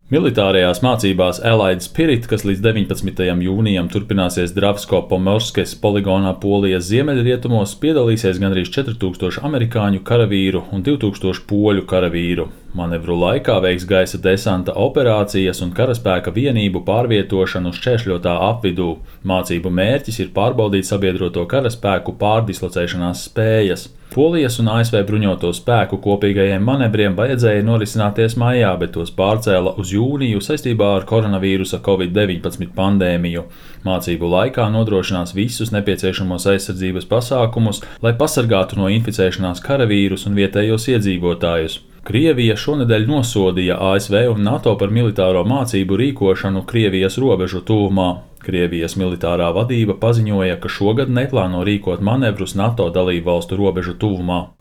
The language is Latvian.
Militārajās mācībās Allied Spirit, kas līdz 19. jūnijam turpināsies Dravsko-Pomorskes poligonā Polijas ziemeļrietumos, piedalīsies gandrīz 4000 amerikāņu karavīru un 2000 poļu karavīru. Manevru laikā veiks gaisa desanta operācijas un karaspēka vienību pārvietošanu šķēršļotā apvidū. Mācību mērķis ir pārbaudīt sabiedroto karaspēku pārdislocēšanās spējas. Polijas un ASV bruņoto spēku kopīgajiem manevriem vajadzēja norisināties maijā, bet tos pārcēla uz jūniju saistībā ar koronavīrusa Covid-19 pandēmiju. Mācību laikā nodrošinās visus nepieciešamos aizsardzības pasākumus, lai pasargātu no inficēšanās karavīrus un vietējos iedzīvotājus. Krievija šonedēļ nosodīja ASV un NATO par militāro mācību rīkošanu Krievijas robežu tuvumā. Krievijas militārā vadība paziņoja, ka šogad neplāno rīkot manevrus NATO dalībvalstu robežu tuvumā.